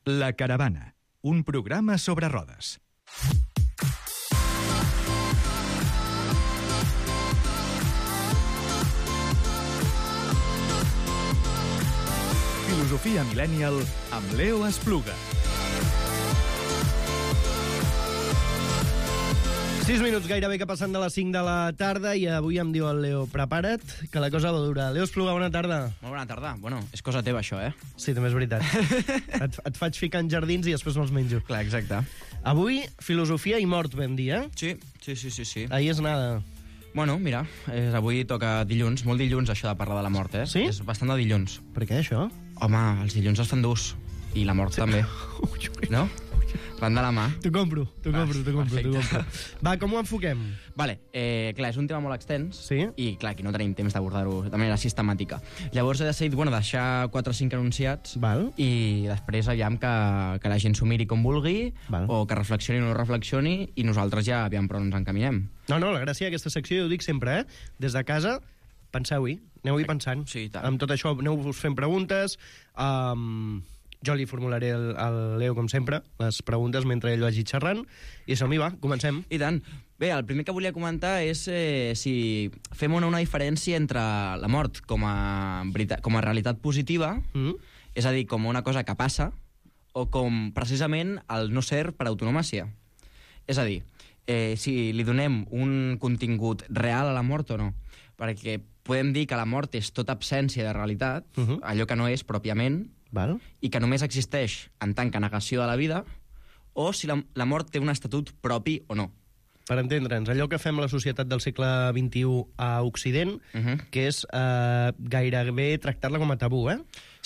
La Caravana, un programa sobre rodes. Filosofia Millennial amb Leo Espluga. 6 minuts gairebé que passen de les 5 de la tarda i avui em diu el Leo, prepara't, que la cosa va dura. Leo Espluga, bona tarda. Molt bona tarda. Bueno, és cosa teva, això, eh? Sí, també és veritat. et faig ficar en jardins i després me'ls menjo. Clar, exacte. Avui, filosofia i mort, vam dir, eh? Sí. Ahí és nada. Bueno, mira, avui toca dilluns, molt dilluns això de parlar de la mort, eh? Sí? És bastant de dilluns. Per què, això? Home, els dilluns es fan durs. I la mort també. No? Van de la mà. T'ho compro. Va, com ho enfoquem? Vale, clar, és un tema molt extens. Sí? I clar, aquí no tenim temps d'abordar-ho de manera sistemàtica. Llavors he decidit, deixar 4 o 5 enunciats. Val. I després aviam que la gent s'ho miri com vulgui. Val. O que reflexioni o no reflexioni, i nosaltres ja aviam per on ens encaminem. No, la gràcia d'aquesta secció, jo ho dic sempre, Des de casa, penseu-hi, aneu-hi pensant. Sí, tant. Amb tot això, aneu-vos fent preguntes. Jo li formularé al Leo, com sempre, les preguntes mentre ell vagi xerrant. I som-hi, va, comencem. I tant. Bé, el primer que volia comentar és si fem una diferència entre la mort com a realitat positiva, és a dir, com una cosa que passa, o com precisament el no ser per autonomàcia. És a dir, si li donem un contingut real a la mort o no. Perquè podem dir que la mort és tota absència de realitat, allò que no és pròpiament, Val. i que només existeix en tant que negació de la vida, o si la mort té un estatut propi o no. Per entendre'ns, allò que fem a la societat del segle XXI a Occident, que és gairebé tractar-la com a tabú,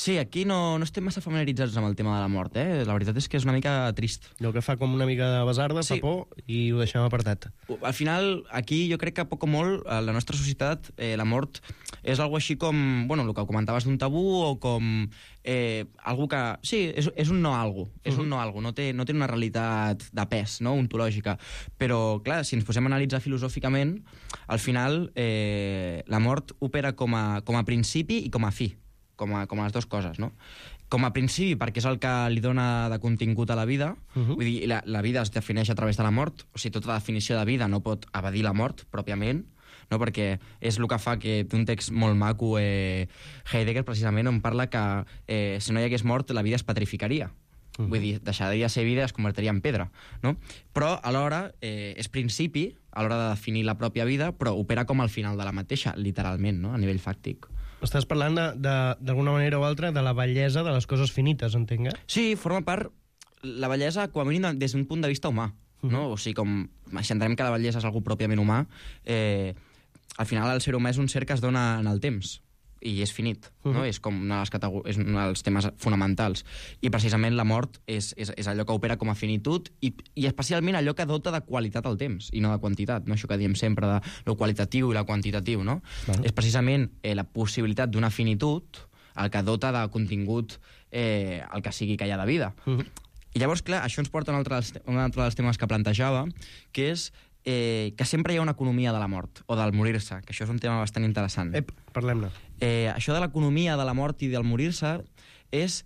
Sí, aquí no estem massa familiaritzats amb el tema de la mort, La veritat és que és una mica trist. Allò que fa com una mica de basarda, Sí. fa por, i ho deixem apartat. Al final, aquí jo crec que poc o molt, a la nostra societat, la mort és algo així com, el que comentaves d'un tabú, o com algo que... Sí, és un no algo, és un no algo, no té una realitat de pes, no?, ontològica. Però, clar, si ens posem a analitzar filosòficament, al final la mort opera com a principi i com a fi, com a les dues coses, no? Com a principi, perquè és el que li dona de contingut a la vida. Vull dir, la vida es defineix a través de la mort. O sigui, tota definició de vida no pot evadir la mort, pròpiament, no? Perquè és el que fa que té un text molt maco, Heidegger, precisament, on parla que si no hi hagués mort, la vida es petrificaria. Vull dir, deixaria de ser vida i es convertiria en pedra, no? Però, alhora, és principi a l'hora de definir la pròpia vida, però opera com al final de la mateixa, literalment, no?, a nivell fàctic. Estàs parlant, d'alguna manera o altra, de la bellesa de les coses finites, entenc, Sí, forma part, la bellesa, com a mínim, des d'un punt de vista humà, no? O sigui, com si entenem que la bellesa és algo pròpiament humà, al final el ser humà és un ser que es dona en el temps, i és finit, no? És com és un dels temes fonamentals. I precisament la mort és allò que opera com a finitud i especialment allò que dota de qualitat al temps i no de quantitat, no? Això que diem sempre de lo qualitatiu i la quantitatiu, no? És precisament la possibilitat d'una finitud el que dota de contingut el que sigui que hi ha de vida. I llavors, clar, això ens porta a un altre dels temes que plantejava, que és que sempre hi ha una economia de la mort, o del morir-se, que això és un tema bastant interessant. Parlem-ne. Això de l'economia de la mort i del morir-se és...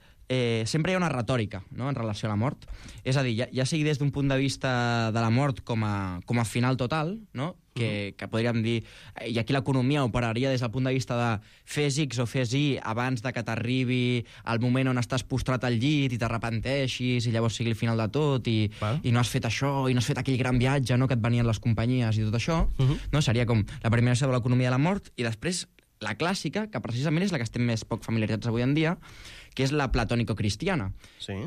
sempre hi ha una retòrica, no?, en relació a la mort. És a dir, ja sigui des d'un punt de vista de la mort com a final total, no?, que podríem dir... I aquí l'economia operaria des del punt de vista de fes X o fes Y abans de que t'arribi el moment on estàs postrat al llit i t'arrepenteixis i llavors sigui el final de tot i no has fet això i no has fet aquell gran viatge, no?, que et venien les companyies i tot això, no? Seria com la primera sobre l'economia de la mort, i després la clàssica, que precisament és la que estem més poc familiaritzats avui en dia, que és la platònico-cristiana,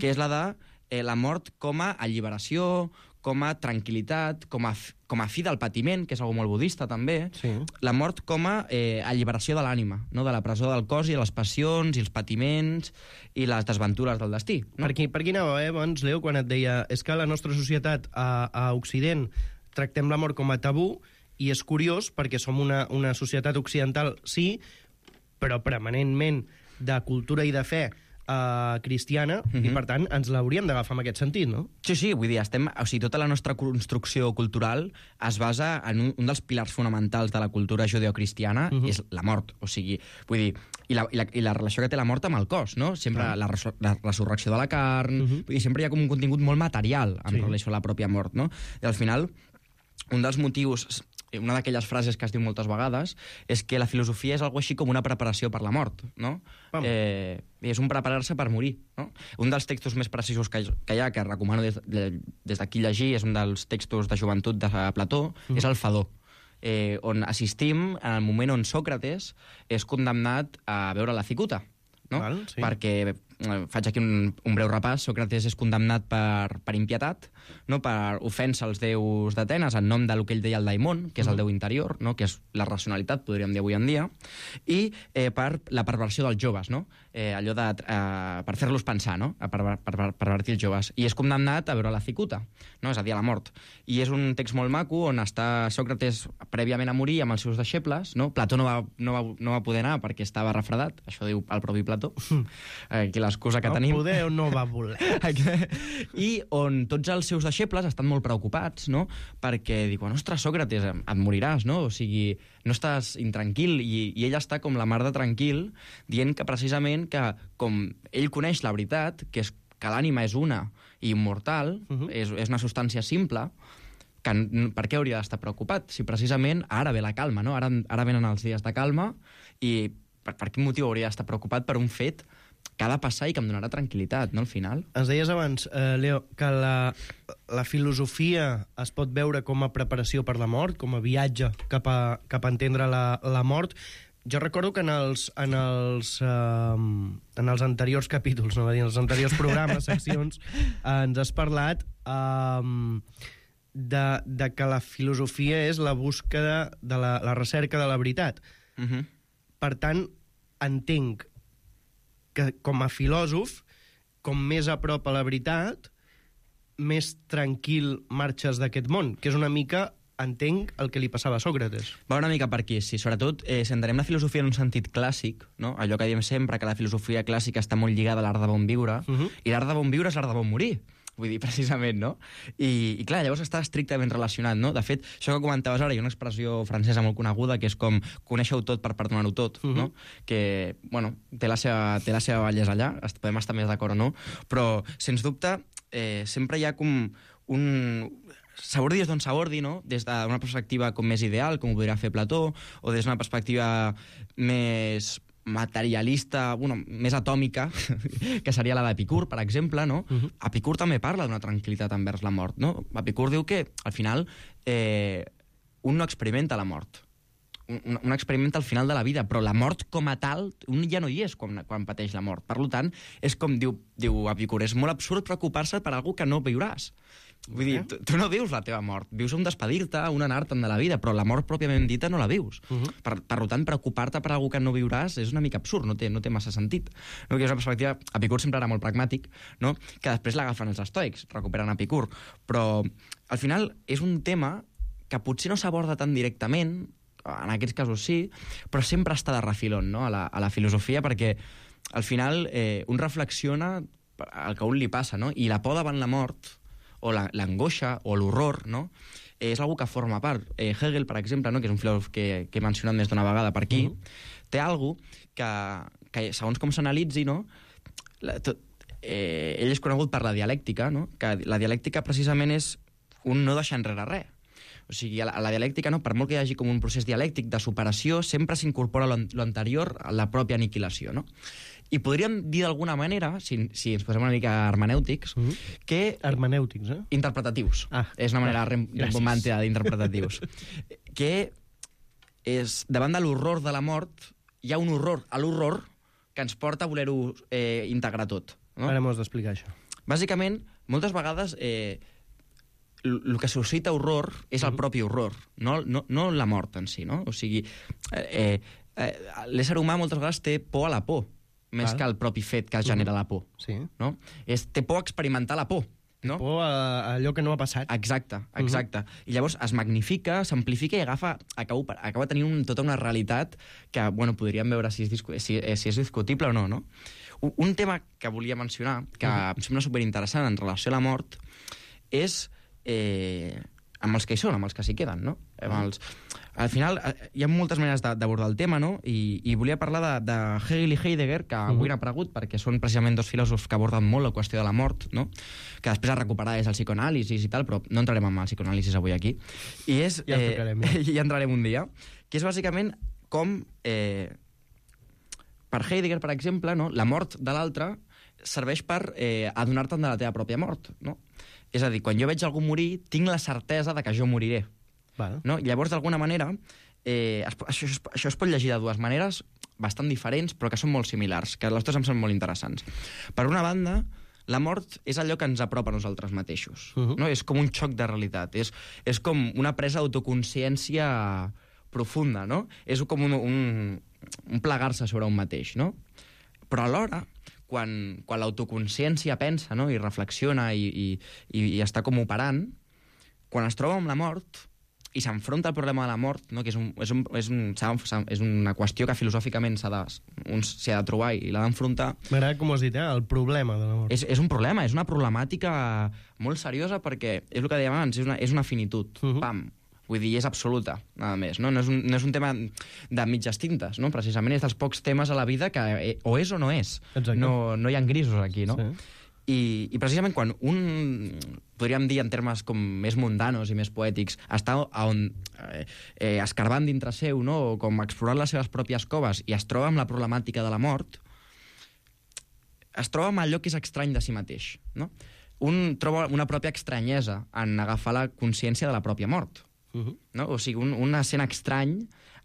que és la de la mort com a alliberació, com a tranquil·litat, com a fi del patiment, que és algo molt budista també, la mort com a alliberació de l'ànima, no?, de la presó del cos i de les passions i els patiments i les desventures del destí. No? Per aquí anava, abans, Leo, quan et deia és que la nostra societat a Occident tractem la mort com a tabú, i és curiós perquè som una societat occidental, sí, però permanentment de cultura i de fe cristiana, i per tant ens l'hauríem d'agafar en aquest sentit, no? Sí, vull dir, tota la nostra construcció cultural es basa en un dels pilars fonamentals de la cultura judeocristiana, és la mort. O sigui, vull dir, i la relació que té la mort amb el cos, no? Sempre la resurrecció de la carn, vull dir, sempre hi ha com un contingut molt material en relació a la pròpia mort, no? I al final, un dels motius, una d'aquelles frases que es diu moltes vegades, és que la filosofia és algo així com una preparació per la mort, no? És un preparar-se per morir, no? Un dels textos més precisos que hi ha, que recomano des d'aquí llegir, és un dels textos de joventut de Plató, és el Fedó, on assistim en el moment on Sòcrates és condemnat a veure la cicuta, no? Perquè faig aquí un breu repàs. Sòcrates és condemnat per impietat, no? Per ofensa als déus d'Atenes en nom del que ell deia el daimon, que és el déu interior, no? Que és la racionalitat, podríem dir avui en dia, i per la perversió dels joves, no? Allò per fer-los pensar, no? Per pervertir els joves. I és condemnat a veure la cicuta, no? És a dir, a la mort. I és un text molt maco on està Sòcrates prèviament a morir amb els seus deixebles, no? Plató no va poder anar perquè estava refredat, això diu el propi Plató, aquí l'excusa que tenim. No poder o no va voler. I on tots els seus deixebles estan molt preocupats, no? Perquè diuen, ostres, Sòcrates, et moriràs, no? O sigui, no estàs intranquil, i ell està com la mar de tranquil, dient que precisament que com ell coneix la veritat, que és que l'ànima és una i immortal, és una substància simple, que per què hauria d'estar preocupat? Si precisament ara ve la calma, no? Ara venen els dies de calma, i per quin motiu hauria d'estar preocupat per un fet que ha de passar i que em donarà tranquil·litat, no, al final? Ens deies abans, Leo, que la filosofia es pot veure com a preparació per la mort, com a viatge cap a entendre la mort. Jo recordo que en els anteriors capítols, no va dir, en els anteriors programes, seccions, ens has parlat de que la filosofia és la búsqueda de la recerca de la veritat. Per tant, entenc que com a filòsof, com més a prop a la veritat, més tranquil marxes d'aquest món, que és una mica, entenc, el que li passava a Sòcrates. Va una mica per aquí, sí. Sobretot, si entenem la filosofia en un sentit clàssic, no? Allò que diem sempre, que la filosofia clàssica està molt lligada a l'art de bon viure, i l'art de bon viure és l'art de bon morir. Vull dir, precisament, no? I clar, llavors està estrictament relacionat, no? De fet, això que comentaves ara, hi ha una expressió francesa molt coneguda, que és com conèixer-ho tot per perdonar-ho tot, no? Que, bueno, té la seva bellesa allà, podem estar més d'acord o no, però, sens dubte, sempre hi ha com un... S'abordi des d'on s'abordi, no? Des d'una perspectiva com més ideal, com ho podria fer Plató, o des d'una perspectiva més materialista, bueno, més atòmica, que seria la d'Epicur, per exemple, no? Epicur també parla d'una tranquil·litat envers la mort, no? Epicur diu que, al final, un no experimenta la mort. Un experimenta al final de la vida, però la mort com a tal, un ja no hi és quan pateix la mort. Per tant, és com diu Epicur, és molt absurd preocupar-se per alguna que no viuràs. Vull dir, tu no vius la teva mort, vius un despedir-te, un anar-te'n de la vida, però la mort pròpiament dita no la vius. Per tant, preocupar-te per alguna que no viuràs és una mica absurd, no té massa sentit. No? Que és una perspectiva... Epicur sempre era molt pragmàtic, no? Que després l'agafen els estoics, recuperen Epicur, però al final és un tema que potser no s'aborda tan directament, en aquests casos sí, però sempre està de refilón, no? a la filosofia, perquè al final un reflexiona el que a un li passa, no? I la por davant la mort, o l'angoixa, o l'horror, no? És algo que forma part. Hegel, per exemple, no? Que és un filòsof que he mencionat més d'una vegada per aquí, té algo que segons com s'analitzi, no? Ell és conegut per la dialèctica, no? Que la dialèctica precisament és un no deixar enrere res. O sigui, a la dialèctica, no? Per molt que hi hagi com un procés dialèctic de superació, sempre s'incorpora lo anterior a la pròpia aniquilació, no? I podríem dir d'alguna manera, si ens posem una mica hermenèutics, que... Hermenèutics, eh? Interpretatius. És una manera romàntica d'interpretatius. Que és, davant de l'horror de la mort, hi ha un horror a l'horror que ens porta a voler-ho integrar tot. No? Ara m'ho has d'explicar, això. Bàsicament, moltes vegades... el que suscita horror és el propi horror, no la mort en si, no? O sigui, l'ésser humà moltes vegades té por a la por, més que el propi fet que genera la por. Sí. No? Té por a experimentar la por. No? Por a allò que no ha passat. Exacte. I llavors es magnifica, s'amplifica i acaba tenint tota una realitat que, bueno, podríem veure si és discutible o no, no? Un tema que volia mencionar, que em sembla superinteressant en relació a la mort, és amb els que hi són, amb els que s'hi queden, no? Al final, hi ha moltes maneres d'abordar el tema, no? I volia parlar de Hegel i Heidegger, que avui han aparegut, perquè són precisament dos filòsofs que aborden molt la qüestió de la mort, no? Que després a recuperar és el psicoanàlisis i tal, però no entrarem en el psicoanàlisis avui aquí. I és, ja entrarem un dia, que és bàsicament com, per Heidegger, per exemple, no? La mort de l'altre serveix per adonar-te'n de la teva pròpia mort, no? És a dir, quan jo veig algú morir, tinc la certesa de que jo moriré. Vale. No? Llavors, d'alguna manera, això es pot llegir de dues maneres bastant diferents, però que són molt similars, que les dues em són molt interessants. Per una banda, la mort és allò que ens apropa a nosaltres mateixos. No? És com un xoc de realitat. És com una presa d'autoconsciència profunda, no? És com un plegar-se sobre un mateix, no? Però alhora, quan l'autoconsciència pensa, no? I reflexiona i està com operant, quan es troba amb la mort i s'enfronta al problema de la mort, no? Que és una qüestió que filosòficament s'ha de trobar i l'ha d'enfrontar. M'agrada com ho has dit, el problema de la mort. És un problema, és una problemàtica molt seriosa perquè, és el que dèiem abans, és una finitud. Pam! Vull dir, és absoluta, nada més. No és un tema de mitges tintes, no? Precisament és dels pocs temes a la vida que o és o no és. No hi ha grisos aquí, no? Sí. I precisament quan un, podríem dir en termes com més mundanos i més poètics, està escarbant dintre seu, no? O com explorant les seves pròpies coves i es troba amb la problemàtica de la mort, es troba amb allò que és estrany de si mateix, no? Un troba una pròpia estranyesa en agafar la consciència de la pròpia mort. No? O sigui, un sent estrany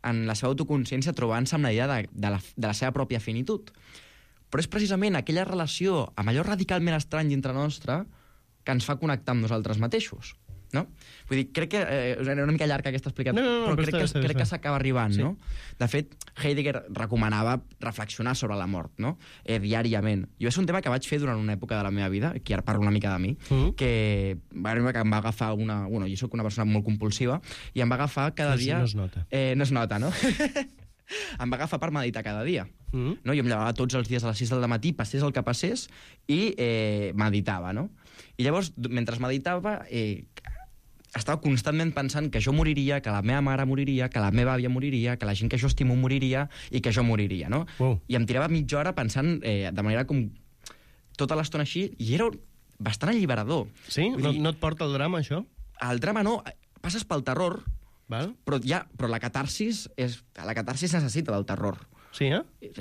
en la seva autoconsciència trobant-se amb la idea de la seva pròpia finitud. Però és precisament aquella relació amb allò radicalment estrany dintre nostre que ens fa connectar amb nosaltres mateixos. No? Vull dir, crec que era una mica llarga aquesta explicació, però crec que s'acaba arribant, no? De fet, Heidegger recomanava reflexionar sobre la mort, no? Diàriament. Jo és un tema que vaig fer durant una època de la meva vida, aquí ara parlo una mica de mi, que em va agafar una... Bueno, jo soc una persona molt compulsiva, i em va agafar cada dia... No es nota. No es nota, no? Em va agafar per meditar cada dia. No? Jo em llevava tots els dies a les 6 del matí, passés el que passés, i meditava, no? I llavors, mentre meditava... estava constantment pensant que jo moriria, que la meva mare moriria, que la meva àvia moriria, que la gent que jo estimo moriria i que jo moriria, no? I em tirava mitja hora pensant de manera com tota l'estona així, i era bastant alliberador. Sí? No et porta el drama, això? El drama no, passes pel terror, però la catarsis necessita del terror. Sí,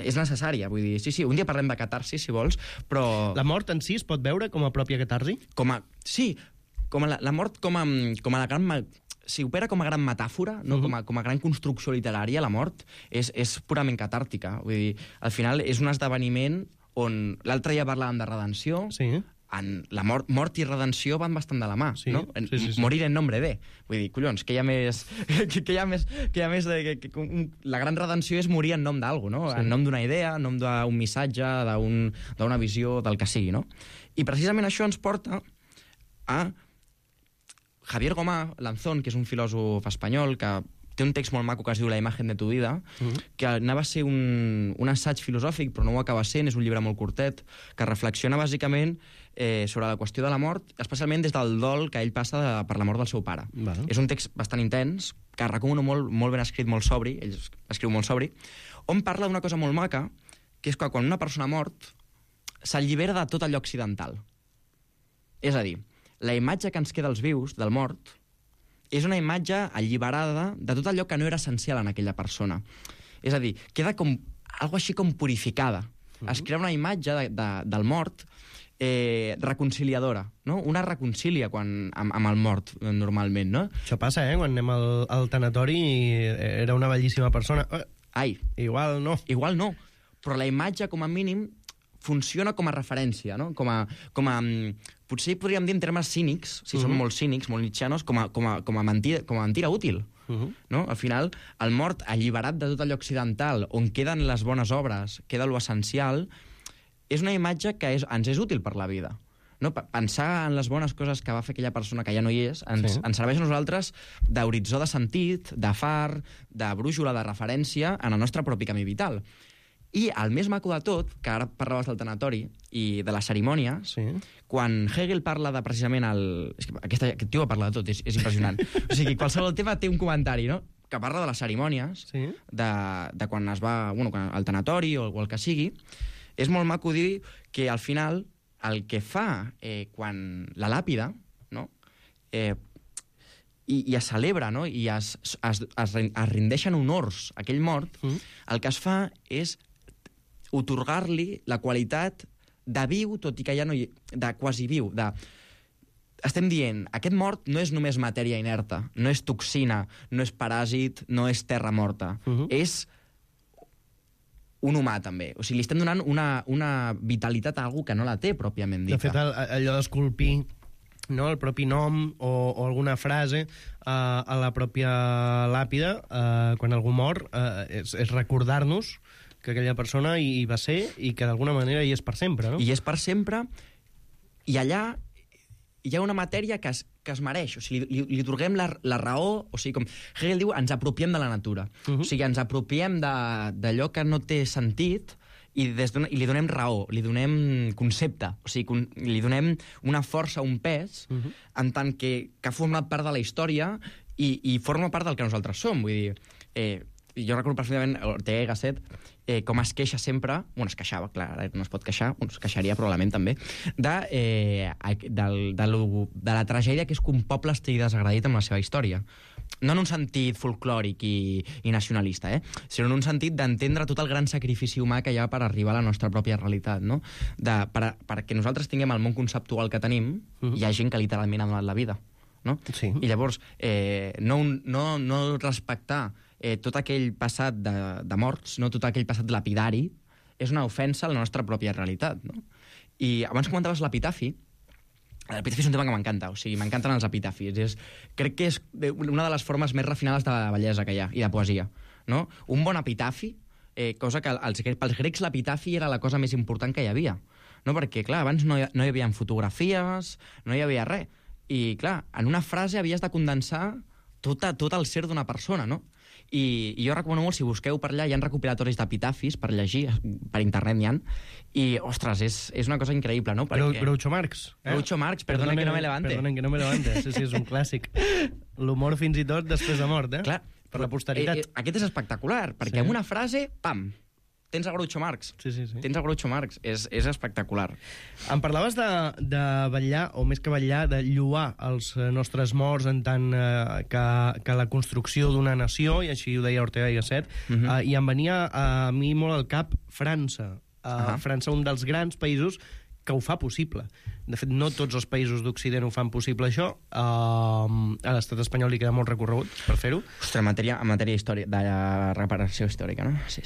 És necessària, vull dir, sí, un dia parlem de catarsis, si vols, però... La mort en si es pot veure com a pròpia catarsi? Sí, com la mort com a la gran... Si opera com a gran metàfora, no? Com a gran construcció literària, la mort és purament catàrtica. Vull dir, al final és un esdeveniment on... L'altre dia parlàvem de redenció, la mort i redenció van bastant de la mà, no? Sí. Morir en nombre de. Vull dir, collons, que hi ha més... La gran redenció és morir en nom d'algú, no? En nom d'una idea, en nom d'un missatge, d'una visió, del que sigui, no? I precisament això ens porta a Javier Gomá Lanzón, que és un filòsof espanyol que té un text molt maco que es diu La imagen de tu vida, que anava a ser un assaig filosòfic, però no ho acaba sent, és un llibre molt curtet, que reflexiona bàsicament sobre la qüestió de la mort, especialment des del dol que ell passa per la mort del seu pare. És un text bastant intens, que recomano molt ben escrit, molt sobri, ell escriu molt sobri, on parla d'una cosa molt maca, que és que quan una persona mort s'allibera de tot allò occidental. És a dir, la imatge que ens queda als vius, del mort, és una imatge alliberada de tot allò que no era essencial en aquella persona. És a dir, queda com algo així com purificada. Es crea una imatge del mort reconciliadora, no? Una reconcília amb el mort, normalment, no? Això passa, quan anem al tanatori i era una bellíssima persona. Ai. Igual no. Igual no. Però la imatge, com a mínim, funciona com a referència, no? Potser podríem dir en termes cínics, si som molt cínics, molt nietzscheanos, com a mentira útil. No? Al final, el mort alliberat de tot allò occidental, on queden les bones obres, queda lo essencial, és una imatge que ens és útil per la vida. No? Pensar en les bones coses que va fer aquella persona que ja no hi és ens serveix a nosaltres d'horitzó de sentit, de far, de brúixola, de referència en el nostre propi camí vital. I el més maco de tot, que ara parlaves del tanatori i de les cerimònies, Sí. quan Hegel parla de precisament És que aquest tio parla de tot, és impressionant. O sigui, qualsevol tema té un comentari, no?, que parla de les cerimònies, Sí. de quan es va... Bueno, el tanatori o el que sigui. És molt maco dir que al final el que fa quan la làpida, no?, i es celebra, no?, i es rendeixen honors a aquell mort, el que es fa és otorgar-li la qualitat de viu, tot i que ja no hi... de quasi viu, estem dient, aquest mort no és només matèria inerta, no és toxina, no és paràsit, no és terra morta. És un humà, també. O sigui, li estem donant una vitalitat a algú que no la té, pròpiament dita. De fet, allò d'esculpir, no, el propi nom o alguna frase a la pròpia làpida, quan algú mor, és recordar-nos que aquella persona hi va ser i que d'alguna manera hi és per sempre, no? I és per sempre, i allà hi ha una matèria que es mereix. O sigui, li atorguem la raó, o sigui, com Hegel diu, ens apropiem de la natura. O sigui, ens apropiem d'allò que no té sentit i li donem raó, li donem concepte, o sigui, li donem una força, un pes, en tant que ha format part de la història i forma part del que nosaltres som. Vull dir, jo recordo perfectament Ortega y Gasset, com es queixa sempre, bueno, es queixava, clar, ara no es pot queixar, bueno, es queixaria probablement també, de la tragèdia que és que un poble estigui desagradit amb la seva història. No en un sentit folclòric i nacionalista, sinó en un sentit d'entendre tot el gran sacrifici humà que hi ha per arribar a la nostra pròpia realitat, no? Perquè nosaltres tinguem el món conceptual que tenim, hi ha gent que literalment ha donat la vida, no? Sí. I llavors, no respectar tot aquell passat de morts, no, tot aquell passat lapidari, és una ofensa a la nostra pròpia realitat, no? I abans comentaves l'epitafi. L'epitafi és un tema que m'encanta, o sigui, m'encanten els epitafis. Crec que és una de les formes més refinades de bellesa que hi ha, i de poesia, no? Un bon epitafi, cosa que pels grecs l'epitafi era la cosa més important que hi havia, no? Perquè, clar, abans no hi havia fotografies, no hi havia res, i, clar, en una frase havies de condensar tot el ser d'una persona, no? I jo recomano molt, si busqueu per allà, hi ha recopilatoris d'epitafis per llegir, per internet n'hi ha, i, ostres, és una cosa increïble, no? Groucho Marx. Groucho Marx, perdona que no me levante. Perdonen que no me levante, sí, és un clàssic. L'humor fins i tot després de mort, Clar, per la posteritat. Aquest és espectacular, perquè amb una frase, pam, tens el Groucho Marx. Sí. Tens el Groucho Marx. És espectacular. Em parlaves de vetllar, o més que vetllar, de lloar els nostres morts en tant que la construcció d'una nació, i així ho deia Ortega y Gasset, i em venia a mi molt al cap França. França, un dels grans països que ho fa possible. De fet, no tots els països d'Occident ho fan possible, això. A l'estat espanyol li queda molt recorregut per fer-ho. Ostres, en matèria de reparació històrica, no? Sí.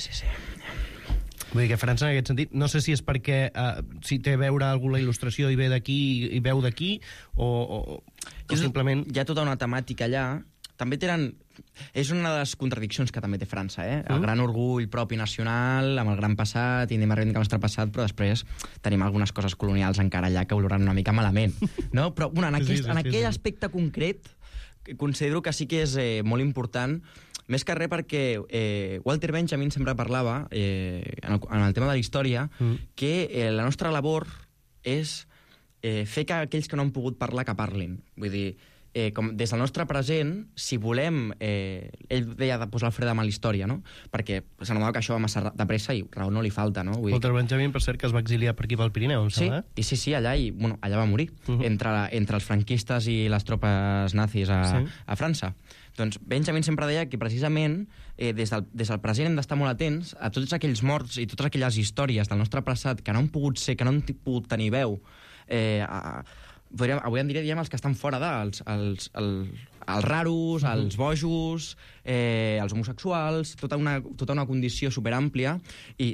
Vull dir que França, en aquest sentit, no sé si és perquè si té a veure alguna il·lustració i ve d'aquí i veu d'aquí, o simplement... Hi ha tota una temàtica allà. També tenen... És una de les contradiccions que també té França, El gran orgull propi nacional, amb el gran passat, i anem a reivindicar el nostre passat, però després tenim algunes coses colonials encara allà que oloren una mica malament, no? Però, bueno, en aquell aspecte concret, considero que sí que és molt important, més que res perquè Walter Benjamin sempre parlava, en el tema de la història, que la nostra labor és fer que aquells que no han pogut parlar, que parlin. Vull dir, com des del nostre present, si volem... ell deia de posar el fre de mà a la història, no? Perquè s'anotava que això va massa de pressa i raó no li falta, no? Walter Benjamin, per cert, que es va exiliar per aquí pel Pirineu, em sembla, Sí, allà, i bueno, allà va morir, entre els franquistes i les tropes nazis a França. Doncs Benjamin sempre deia que precisament des del present hem d'estar molt atents a tots aquells morts i totes aquelles històries del nostre passat que no han pogut ser, que no han pogut tenir veu. Avui en diríem els que estan fora els raros, els bojos, els homosexuals, tota una condició superàmplia, i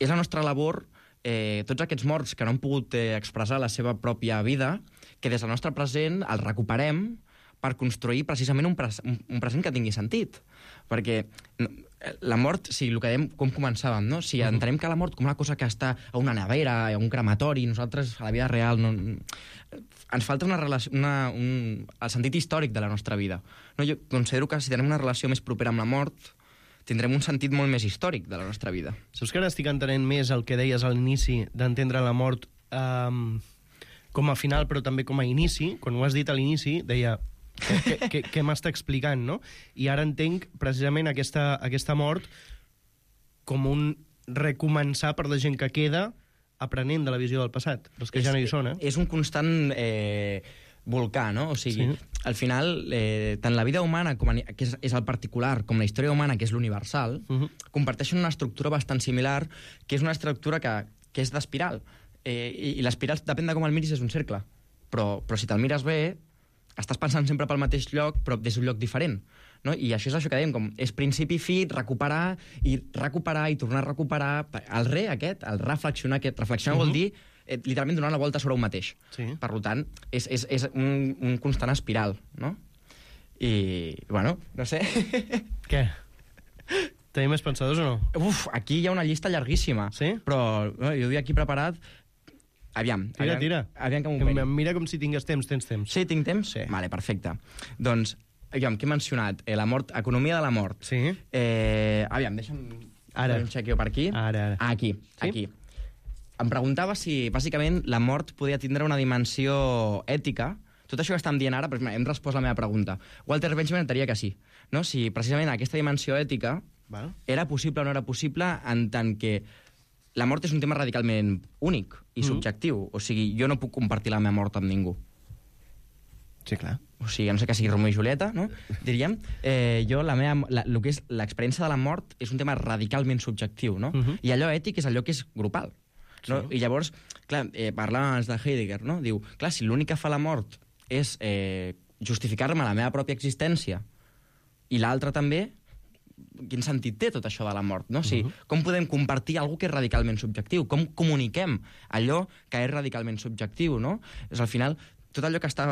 és la nostra labor, tots aquests morts que no han pogut expressar la seva pròpia vida, que des del nostre present els recuperem per construir precisament un present que tingui sentit. Perquè la mort, si el que dèiem, com començàvem, no? Si entenem que la mort com una cosa que està a una nevera, a un crematori, nosaltres a la vida real ens falta una relació, el sentit històric de la nostra vida. No? Jo considero que si tenem una relació més propera amb la mort, tindrem un sentit molt més històric de la nostra vida. Saps que ara estic entenent més el que deies a l'inici d'entendre la mort com a final, però també com a inici? Quan ho has dit a l'inici, deia... Què m'està explicant, no? I ara entenc precisament aquesta mort com un recomençar per la gent que queda aprenent de la visió del passat, els que ja no hi són, És un constant volcà, no? O sigui, al final, tant la vida humana, que és el particular, com la història humana, que és l'universal, comparteixen una estructura bastant similar, que és una estructura que és d'espiral. I l'espiral, depèn de com el miris, és un cercle. Però si te'l mires bé, estàs pensant sempre pel mateix lloc, però des d'un lloc diferent. No? I això és això que dèiem, com és principi fi, recuperar i tornar a recuperar. El reflexionar, reflexionar vol dir literalment donar la volta sobre un mateix. Sí. Per tant, és un constant espiral, no? I, bueno, no sé... Què? Tenim més pensadors o no? Aquí hi ha una llista llarguíssima. Sí? Però jo havia aquí preparat... Aviam. Tira. Aviam que m'ho peli. Mira com si tingués temps. Tens temps? Sí, tinc temps? Sí. Vale, perfecte. Doncs, aviam, què he mencionat? La mort, economia de la mort. Sí. Aviam, deixa'm... Ara. Un xequeo per aquí. Ara. Aquí. Em preguntava si, bàsicament, la mort podia tindre una dimensió ètica. Tot això que estem dient ara, però hem respost la meva pregunta. Walter Benjamin diria que sí. No? Si precisament aquesta dimensió ètica era possible o no era possible en tant que la mort és un tema radicalment únic i subjectiu. O sigui, jo no puc compartir la meva mort amb ningú. Sí, clar. O sigui, a no sé que sigui Romeo i Julieta, no? Diríem. Jo, el que és l'experiència de la mort és un tema radicalment subjectiu, no? I allò ètic és allò que és grupal. No? I llavors, clar, parlàvem de Heidegger, no? Diu, clar, si l'únic que fa la mort és justificar-me la meva pròpia existència i l'altra també, quin sentit té tot això de la mort, no? O sigui, com podem compartir alguna que és radicalment subjectiu? Com comuniquem allò que és radicalment subjectiu, no? És al final, tot allò que està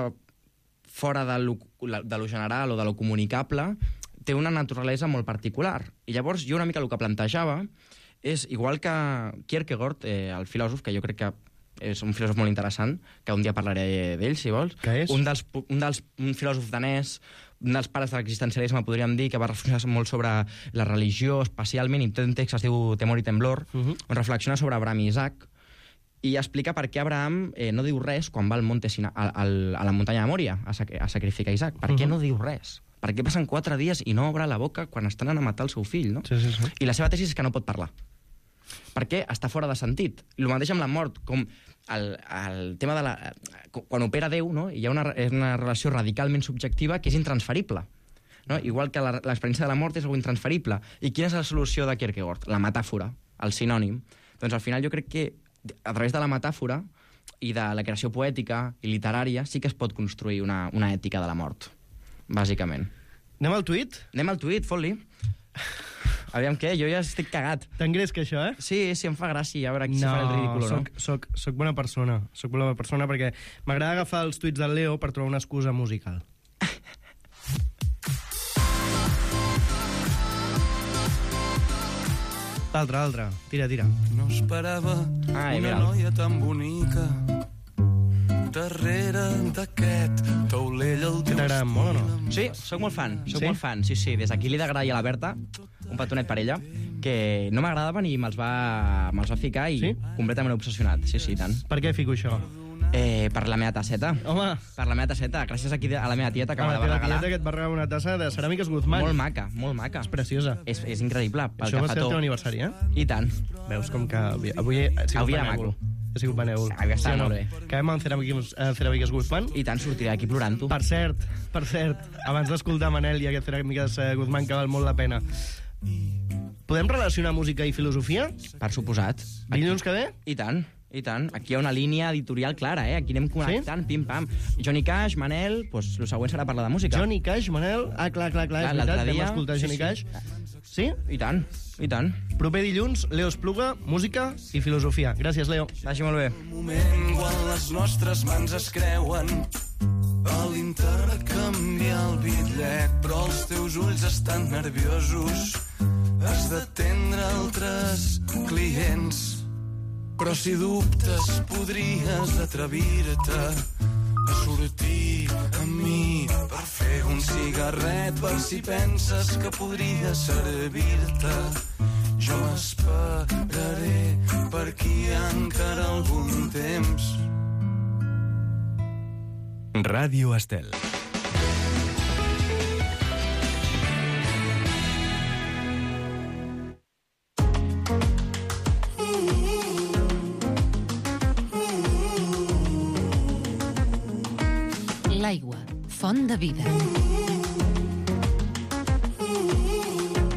fora de lo general o de lo comunicable té una naturalesa molt particular. I llavors jo una mica el que plantejava és, igual que Kierkegaard, el filòsof, que jo crec que és un filòsof molt interessant, que un dia parlaré d'ell, si vols. Què és? Un filòsof danès, un dels pares de l'existencialisme, podríem dir, que va reflexionar molt sobre la religió, especialment, i té un text que es diu Temor i temblor, on reflexiona sobre Abraham i Isaac, i explica per què Abraham no diu res quan va al monte a la muntanya de Mòria a sacrificar Isaac. Per què no diu res? Per què passen 4 dies i no obre la boca quan estan anant a matar el seu fill, no? Sí. I la seva tesi és que no pot parlar. Perquè està fora de sentit. El mateix amb la mort, com el tema de la... Quan opera Déu, no? Hi ha una relació radicalment subjectiva que és intransferible. No? Igual que l'experiència de la mort és algo intransferible. I quina és la solució de Kierkegaard? La metàfora, el sinònim. Doncs al final jo crec que a través de la metàfora i de la creació poètica i literària sí que es pot construir una ètica de la mort, bàsicament. Anem al tuit? Anem al tuit, fot-li. Aviam què, jo ja estic cagat. T'engresca això, eh? Sí, em fa gràcia, a veure si faré el ridículo, no? Soc bona persona. Soc bona persona perquè m'agrada agafar els tuits del Leo per trobar una excusa musical. L'altre. Tira. No esperava una noia tan bonica darrere d'aquest taulell al teu t'agrada molt o no? Sí, sóc molt fan. Sí. Des d'aquí li he d'agrair a la Berta, un petonet per ella, que no m'agradaven i me'ls va ficar i completament obsessionat. Sí, tant. Per què fico això? Per la meva tasseta. Home! Per la meva tasseta, gràcies aquí a la meva tieta que me la va regalar. La regalar. tieta que et va regalar una tassa de Ceràmiques Guzmán. Molt maca. És preciosa. És increïble, pel això que va fa ser el tot. teu aniversari, eh? I tant. Veus com que avui he sigut benèvol. He sigut benèvol. Està molt bé. Acabem amb Ceràmiques Guzmán. I tant, sortiré d'aquí plorant-ho. Per cert, abans d'escoltar Manel i aquest Ceràmiques Guzmán, que val molt la pena, podem relacionar música i filosofia? Per suposat. Dilluns que ve? I tant. Aquí hi ha una línia editorial clara, eh? Aquí anem connectant, pim-pam. Johnny Cash, Manel, doncs el següent serà parlar de música. Johnny Cash, Manel... Clar, és veritat, vam escoltar Johnny Cash. Sí? I tant. Proper dilluns, Leo Espluga, música i filosofia. Gràcies, Leo. Vagi molt bé. Un moment quan les nostres mans es creuen a l'intercanviar el bitllet, però els teus ulls estan nerviosos. Has d'atendre altres clients. Però si dubtes podries atrevir-te a sortir amb mi per fer un un cigarret per si penses que podria servir-te. Jo esperaré per aquí encara algun temps. Ràdio Estel. L'aigua, font de vida.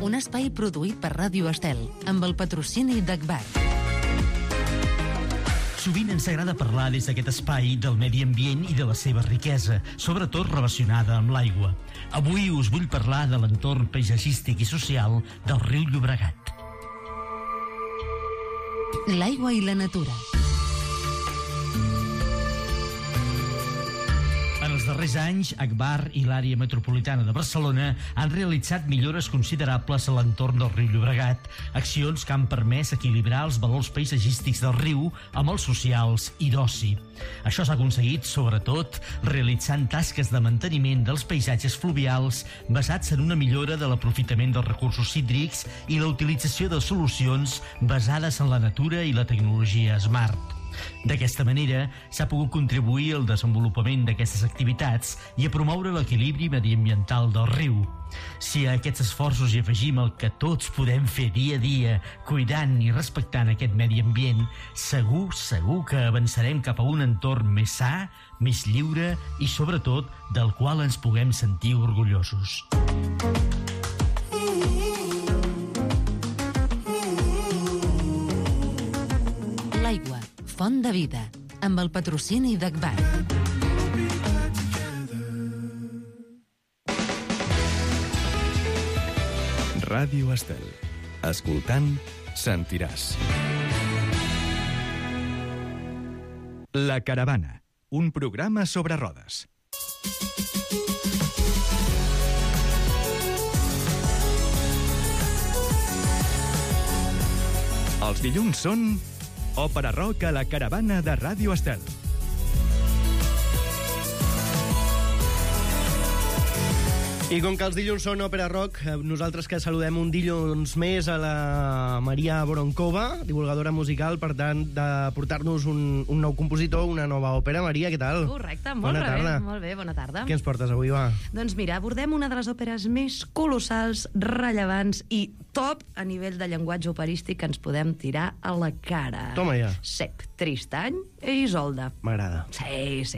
Un espai produït per Ràdio Estel, amb el patrocini d'Agbar. Sovint ens agrada parlar des d'aquest espai del medi ambient i de la seva riquesa, sobretot relacionada amb l'aigua. Avui us vull parlar de l'entorn paisatgístic i social del riu Llobregat. L'aigua i la natura. En els darrers anys, Agbar i l'àrea metropolitana de Barcelona han realitzat millores considerables a l'entorn del riu Llobregat, accions que han permès equilibrar els valors paisatgístics del riu amb els socials i d'oci. Això s'ha aconseguit, sobretot, realitzant tasques de manteniment dels paisatges fluvials basats en una millora de l'aprofitament dels recursos hídrics i la utilització de solucions basades en la natura i la tecnologia smart. D'aquesta manera, s'ha pogut contribuir al desenvolupament d'aquestes activitats i a promoure l'equilibri mediambiental del riu. Si a aquests esforços hi afegim el que tots podem fer dia a dia, cuidant i respectant aquest medi ambient, segur que avançarem cap a un entorn més sa, més lliure i, sobretot, del qual ens puguem sentir orgullosos. L'aigua, font de vida, amb el patrocini d'Agbar. Ràdio Estel. Escoltant, sentiràs. La Caravana, un programa sobre rodes. Els dilluns són Òpera Rock a la Caravana de Ràdio Estel. I com que els dilluns són Òpera Rock, nosaltres que saludem un dilluns més a la Maria Voronkova, divulgadora musical, per tant, de portar-nos un nou compositor, una nova òpera. Maria, què tal? Correcte, molt bé, molt bé, bona tarda. Què ens portes avui, va? Doncs mira, abordem una de les òperes més colossals, rellevants i top a nivell de llenguatge operístic que ens podem tirar a la cara. Toma ja. Cep, Tristany i Isolda. M'agrada. Sí.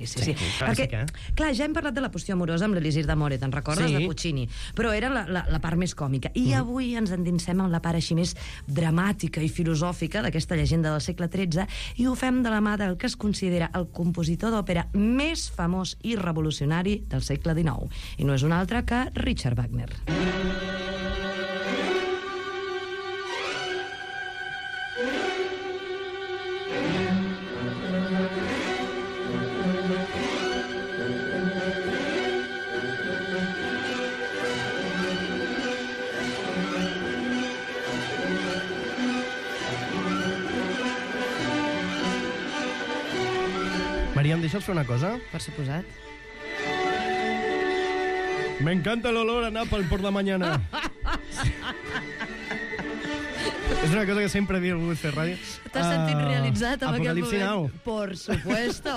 Clàssica, Clar, ja hem parlat de la qüestió amorosa amb l'Elisir d'Amore, te'n recordes? Sí. De Puccini. Però era la part més còmica. I avui ens endinsem en la part així més dramàtica i filosòfica d'aquesta llegenda del segle XIII i ho fem de la mà del que es considera el compositor d'òpera més famós i revolucionari del segle XIX. I no és un altre que Richard Wagner. Maria, em deixes fer una cosa? Per suposat. Me encanta el olor a Napalm por la mañana. És una cosa que sempre havia volgut fer ràdio. T'has sentit realitzat amb aquest Apocalipsi moment? Now. Por supuesto.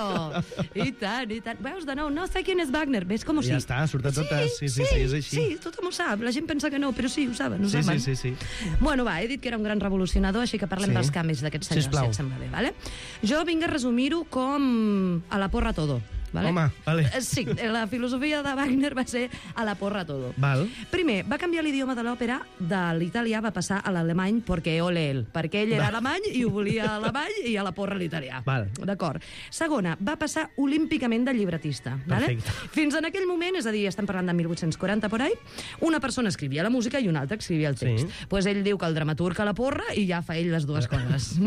I tant, i tant. Veus, de nou, no sé quién és Wagner. Ves com ho sí? Ja està, surt a totes. Sí, és així. Sí, tothom ho sap. La gent pensa que no, però sí, ho saben. Sí. Bueno, va, he dit que era un gran revolucionador, així que parlem dels canvis d'aquest senyor, Sisplau. si et sembla bé, vale? Jo vinc a resumir-ho com a la porra todo. Vale? Home, vale. Sí, la filosofia de Wagner va ser a la porra todo. Val. Primer, va canviar l'idioma de l'òpera, de l'italià va passar a l'alemany perquè ole ell, perquè ell era alemany i ho volia alemany i a la porra l'italià. Val. D'acord. Segona, va passar olímpicament de llibretista. Vale? Perfecte. Fins en aquell moment, és a dir, estem parlant de 1840 por ahí, una persona escrivia la música i una altra escrivia el text. Sí. Pues ell diu que el dramaturg a la porra i ja fa ell les dues coses.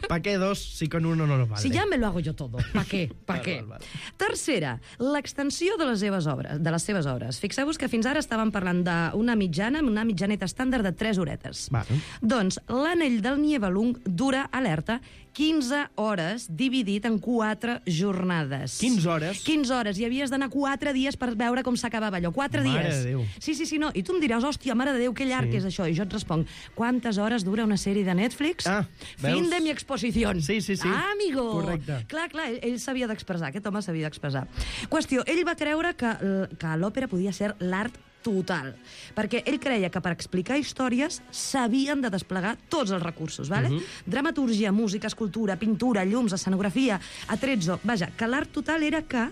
¿Pa qué dos si con uno no nos vale? Si ya me lo hago yo todo, ¿pa qué? ¿Pa qué? Val. Tercera, l'extensió de les seves obres. Fixeu-vos que fins ara estàvem parlant d'una mitjaneta estàndard de 3 horetes. Val. Doncs l'anell del Nibelung dura alerta 15 hores dividit en 4 jornades. 15 hores? 15 hores, i havies d'anar 4 dies per veure com s'acabava allò. 4 dies. Mare de Déu. Sí, no. I tu em diràs, hòstia, mare de Déu, que llarg és això. I jo et responc, quantes hores dura una sèrie de Netflix? Veus? Fin de mi exposición. Sí. Ah, amigo. Correcte. Clar, ell s'havia d'expressar, aquest home s'havia d'expressar. Qüestió, ell va creure que l'òpera podia ser l'art total, perquè ell creia que per explicar històries s'havien de desplegar tots els recursos, vale? Dramatúrgia, música, escultura, pintura, llums, escenografia, atrezzo... Vaja, que l'art total era que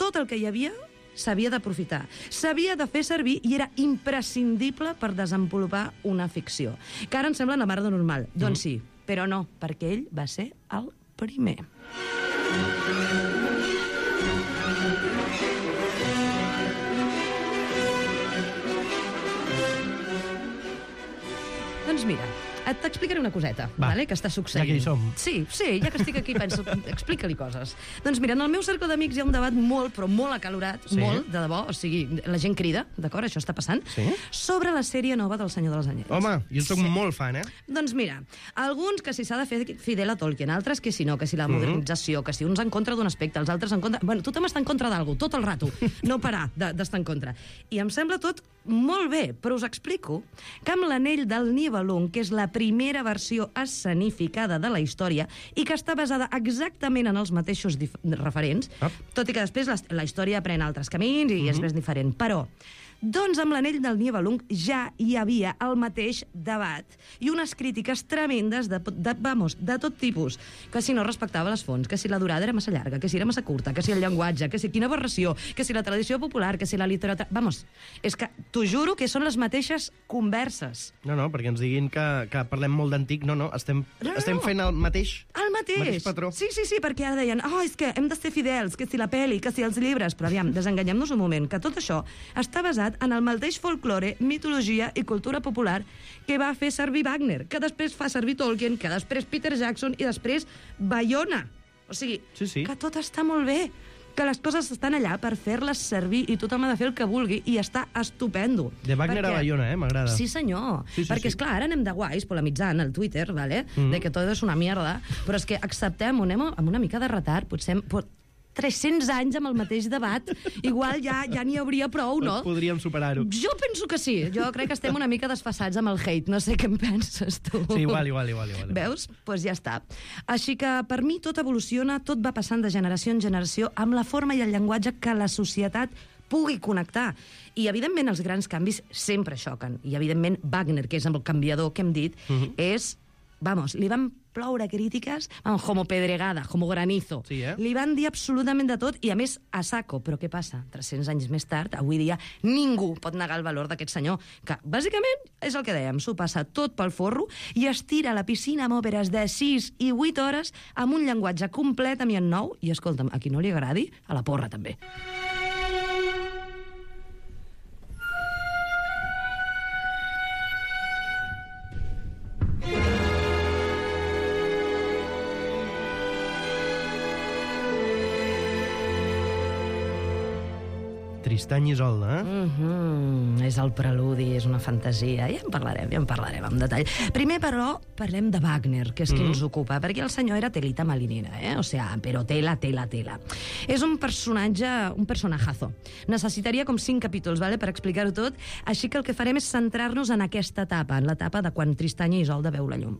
tot el que hi havia s'havia d'aprofitar, s'havia de fer servir i era imprescindible per desenvolupar una ficció. Que ara ens sembla una merda normal. Doncs sí, però no, perquè ell va ser el primer. Doncs mira, t'explicaré una coseta, vale, que està succeint. Ja que hi som. Sí, ja que estic aquí penso, explica-li coses. Doncs mira, en el meu cercle d'amics hi ha un debat molt, però molt acalorat, molt, de debò, o sigui, la gent crida, d'acord, això està passant, sobre la sèrie nova del Senyor dels Anells. Home, jo soc molt fan, Doncs mira, alguns que si s'ha de fer fidel a Tolkien, altres que si no, que si la modernització, que si uns en contra d'un aspecte, els altres en contra... Bueno, tothom està en contra d'algú, tot el rato, no parar d'estar en contra. I em sembla tot molt bé, però us explico que amb l'Anell del Nibelung, que és la primera versió escenificada de la història i que està basada exactament en els mateixos referents, tot i que després la història pren altres camins i és més diferent. Però doncs amb l'Anell del Nibelung ja hi havia el mateix debat i unes crítiques tremendes de tot tipus, que si no respectava les fonts, que si la durada era massa llarga, que si era massa curta, que si el llenguatge, que si quina aberració, que si la tradició popular, que si la literatura... Vamos, és que t'ho juro que són les mateixes converses. No, perquè ens diguin que parlem molt d'antic. No, estem fent el mateix. El mateix patró. Sí, perquè ara deien, és que hem de ser fidels, que si la pel·li, que si els llibres... Però aviam, desenganyem-nos un moment, que tot això està basat en el mateix folklore, mitologia i cultura popular que va fer servir Wagner, que després fa servir Tolkien, que després Peter Jackson i després Bayona. O sigui, que tot està molt bé, que les coses estan allà per fer-les servir i tothom ha de fer el que vulgui i està estupendo. De Wagner a Bayona, m'agrada. Sí, senyor. Perquè, esclar, ara anem de guais polemitzant al Twitter, ¿vale? De que tot és una mierda, però és que acceptem-ho, anem amb una mica de retard, potser 300 anys amb el mateix debat, igual ja n'hi hauria prou, no? Podríem superar-ho. Jo penso que sí. Jo crec que estem una mica desfassats amb el hate. No sé què en penses, tu. Sí, igual. Veus? Doncs ja està. Així que, per mi, tot evoluciona, tot va passant de generació en generació amb la forma i el llenguatge que la societat pugui connectar. I, evidentment, els grans canvis sempre xoquen. I, evidentment, Wagner, que és el canviador que hem dit, és... Vamos, li van ploure crítiques, como pedregada, como granizo. Sí, Li van dir absolutament de tot, i a més a saco. Però què passa? 300 anys més tard, avui dia, ningú pot negar el valor d'aquest senyor, que bàsicament és el que dèiem, s'ho passa tot pel forro i es tira a la piscina amb òperes de 6 i 8 hores amb un llenguatge completament nou, i escolta'm, a qui no li agradi, a la porra també. Tristany i Isolda, És el preludi, és una fantasia. Ja en parlarem en detall. Primer, però, parlem de Wagner, que és qui ens ocupa, perquè el senyor era telita marinera, O sea, però tela. És un personajazo. Necessitaria com 5 capítols, ¿vale?, per explicar-ho tot, així que el que farem és centrar-nos en aquesta etapa, en l'etapa de quan Tristany i Isolda veu la llum.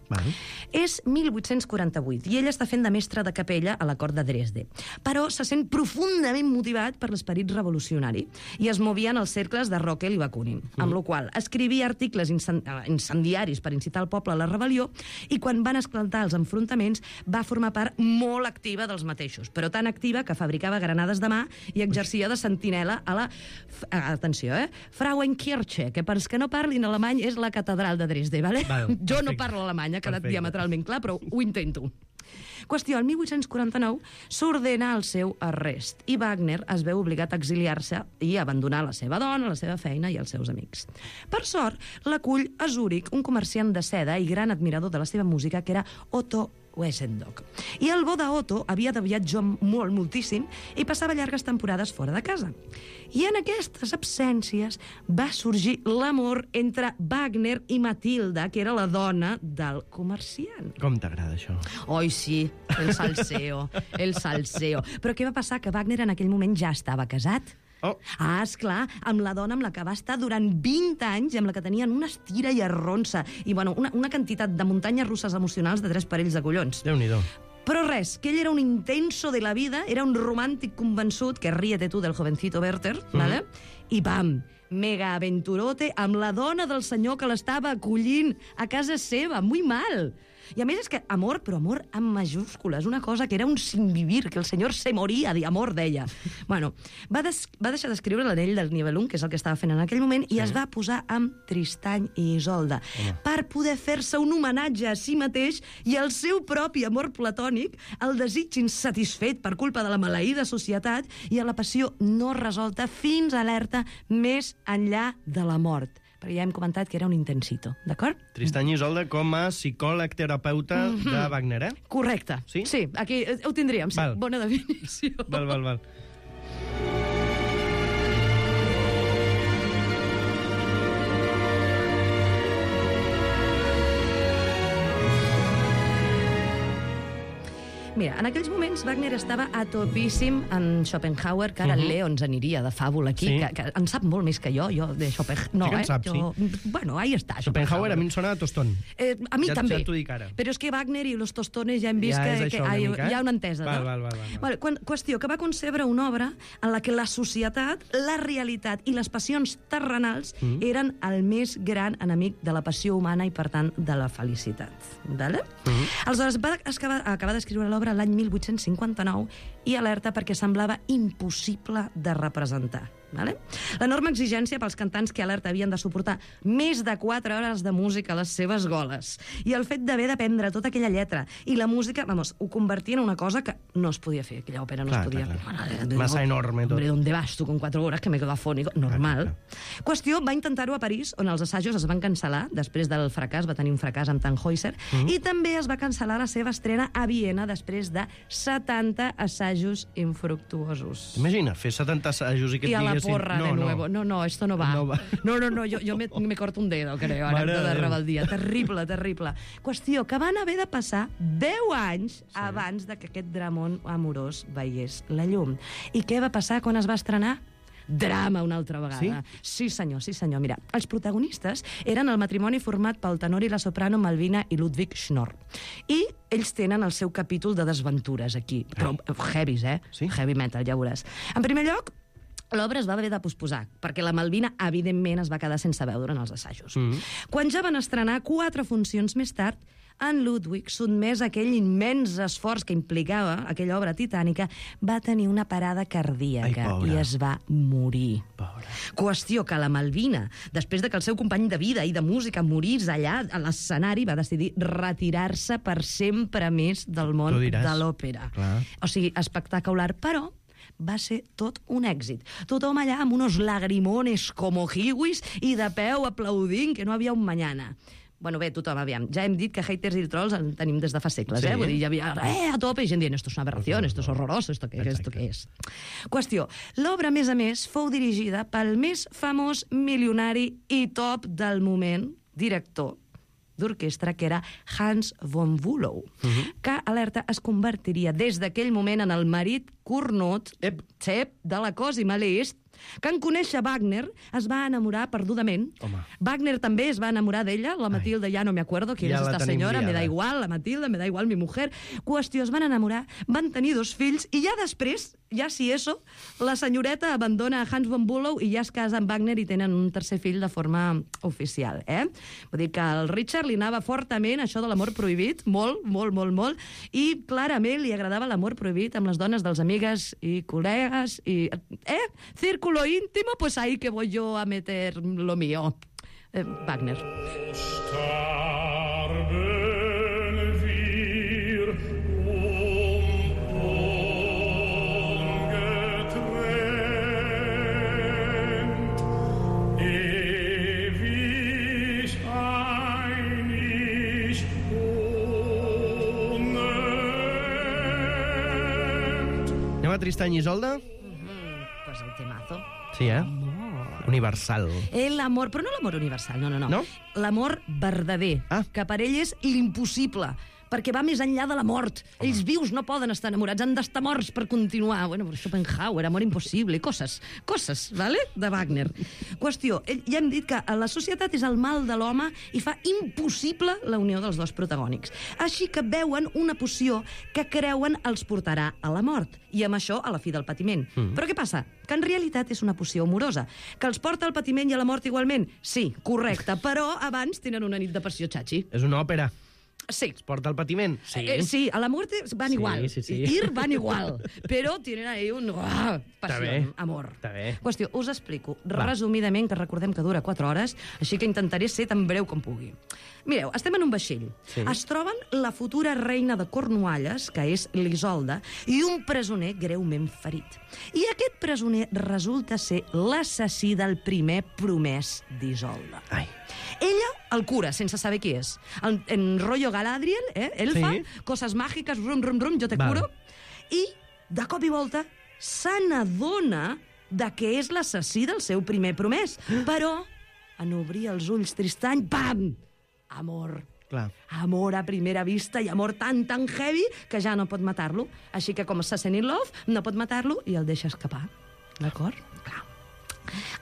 És 1848, i ell està fent de mestre de capella a la cort de Dresde, però se sent profundament motivat per l'esperit revolucionari i es movia en els cercles de Rockel i Bakunin, amb la qual escrivia articles incendiaris per incitar el poble a la rebel·lió, i quan van esclatar els enfrontaments va formar part molt activa dels mateixos, però tan activa que fabricava granades de mà i exercia de sentinela a la, atenció, Frauenkirche, que per als que no parlin alemany és la catedral de Dresde, ¿vale? Jo no parlo alemany, ha quedat diametralment clar, però ho intento. Qüestió, el 1849 s'ordena el seu arrest i Wagner es veu obligat a exiliar-se i abandonar la seva dona, la seva feina i els seus amics. Per sort, l'acull a Zúrich un comerciant de seda i gran admirador de la seva música, que era Otto Wesendonck. I el bo d'Otto havia de viatjar moltíssim i passava llargues temporades fora de casa. I en aquestes absències va sorgir l'amor entre Wagner i Matilda, que era la dona del comerciant. Com t'agrada això? Oi, sí, el salseo, el salseo. Però què va passar? Que Wagner en aquell moment ja estava casat. Oh. Ah, esclar, amb la dona amb la que va estar durant 20 anys i amb la que tenien una estira i arronsa i, bueno, una quantitat de muntanyes russes emocionals de 3 parells de collons. Déu-n'hi-do. Però res, que ell era un intenso de la vida, era un romàntic convençut, que ríete tu del jovencito Werther, ¿vale? I pam, mega aventurote amb la dona del senyor que l'estava acollint a casa seva, muy mal. I a més és que amor, però amor amb majúscules, una cosa que era un sinvivir, que el senyor se moria d'amor, deia. Bueno, va deixar d'escriure l'anell del Nibelung, que és el que estava fent en aquell moment, i es va posar amb Tristany i Isolda, per poder fer-se un homenatge a si mateix i al seu propi amor platònic, al desig insatisfet per culpa de la maleïda societat i a la passió no resolta fins alerta més enllà de la mort. Perquè ja hem comentat que era un intensito, d'acord? Tristany i Isolda com a psicòleg terapeuta de Wagner, eh? Correcte. Sí? Sí, aquí ho tindríem, sí. Val. Bona definició. Val. Mira, en aquells moments Wagner estava a topíssim en Schopenhauer, que ara el Leo ens aniria de fàbula aquí, Sí. que en sap molt més que jo de Schopenhauer. No, Sí que en sap, jo, bueno, ahí està. Schopenhauer a mi em sona a tostón. A mi Ja- també. ja t'ho dic ara. Però és que Wagner i los tostones ja hem vist Ja és que això una mica, hi ha una entesa, Val, no? val. Vale, qüestió, que va concebre una obra en la que la societat, la realitat i les passions terrenals eren el més gran enemic de la passió humana i, per tant, de la felicitat. Vale? Aleshores, va acabar d'escriure l'obra l'any 1859 i alerta perquè semblava impossible de representar. Vale? L'enorme exigència pels cantants que alerta havien de suportar més de 4 hores de música a les seves goles i el fet d'haver d'aprendre tota aquella lletra i la música, vamos, ho convertia en una cosa que no es podia fer, aquella òpera no Clar, es podia clar, fer. clar. Massa enorme tot. Hombre, ¿dónde vas tu con 4 horas que me quedo afónico? Normal. Clar. Qüestió, va intentar-ho a París, on els assajos es van cancel·lar, després del fracàs, va tenir un fracàs amb Tannhäuser, i també es va cancel·lar la seva estrena a Viena després de 70 assajos infructuosos. Imagina, fer 70 assajos i que Y et a la diguessin... porra de nuevo. No, esto no va. No va. No, yo me corto un dedo, creo, ara, Mare de de Déu. rebeldia. Terrible. Qüestió, que van haver de passar 10 anys abans de que aquest dramón amorós veiés la llum. I què va passar quan es va estrenar? Drama una altra vegada. Sí, senyor. Mira, els protagonistes eren el matrimoni format pel tenor i la soprano Malvina i Ludwig Schnorr. I ells tenen el seu capítol de desventures aquí. Però heavies, Sí? Heavy metal, ja veuràs. En primer lloc, l'obra es va haver de posposar, perquè la Malvina, evidentment, es va quedar sense veu durant els assajos. Quan ja van estrenar 4 funcions més tard, en Ludwig, sotmès a aquell immens esforç que implicava aquella obra titànica, va tenir una parada cardíaca Ai, pobra. i es va morir. Pobra. Qüestió que la Malvina, després de que el seu company de vida i de música morís allà a l'escenari, va decidir retirar-se per sempre més del món Tu diràs. de l'òpera. Clar. O sigui, espectacular, però va ser tot un èxit. Tothom allà amb unos lagrimones como hiwis i de peu aplaudint que no havia un mañana. Bueno, bé, tothom, aviam. Ja hem dit que haters i trolls en tenim des de fa segles, Sí. Vull dir, hi havia a tope i gent dient esto es una aberración, esto es horroroso, esto què és? Qüestió, l'obra, a més, fou dirigida pel més famós milionari i top del moment, director d'orquestra, que era Hans von Bülow, que, alerta, es convertiria des d'aquell moment en el marit cornut de la Cosima Liszt, que en conèixer Wagner es va enamorar perdudament. Home. Wagner també es va enamorar d'ella, la Matilda ja no me acuerdo quién Ja es la esta tenim senyora, me liada. da igual, la Matilda, me da igual mi mujer. Qüestió, es van enamorar, van tenir 2 fills, i ja després, ja si eso, la senyoreta abandona a Hans von Bülow i ja es casa amb Wagner i tenen un 3è fill de forma oficial, Vull dir que al Richard li anava fortament això de l'amor prohibit, molt, i clarament li agradava l'amor prohibit amb les dones dels amigues i col·legues, i, círculo íntimo, pues ahí que voy yo a meter lo mío. Wagner. Tristany i Isolde? Pues el temazo. Sí, Universal. L'amor, però no l'amor universal, no. No? L'amor verdader, que per ell és l'impossible, perquè va més enllà de la mort. Ells vius no poden estar enamorats, han d'estar morts per continuar. Bueno, Schopenhauer, amor impossible, coses, ¿vale? De Wagner. Qüestió, ja hem dit que la societat és el mal de l'home i fa impossible la unió dels dos protagònics. Així que veuen una poció que creuen els portarà a la mort, i amb això a la fi del patiment. Però què passa? Que en realitat és una poció amorosa, que els porta al patiment i a la mort igualment? Sí, correcte, però abans tenen una nit de passió xachi. És una òpera. Sí. Es porta al patiment? Sí, a la muerte van igual. Sí. Ir van igual. Però tienen ahí un... passió, amor. Està bé. Qüestió, us explico resumidament, que recordem que dura 4 hores, així que intentaré ser tan breu com pugui. Mireu, estem en un vaixell. Sí. Es troben la futura reina de Cornualles, que és l'Isolda, i un presoner greument ferit. I aquest presoner resulta ser l'assassí del primer promès d'Isolda. Ai. Ella el cura, sense saber qui és. En rollo Galadriel, elfa, Sí. coses màgiques, rum, jo te curo. I, de cop i volta, se n'adona de que és l'assassí del seu primer promès. Però, en obrir els ulls Tristany, pam! Amor. Clar. Amor a primera vista i amor tan heavy que ja no pot matar-lo. Així que, com se sent in love, no pot matar-lo i el deixa escapar. D'acord? Clar.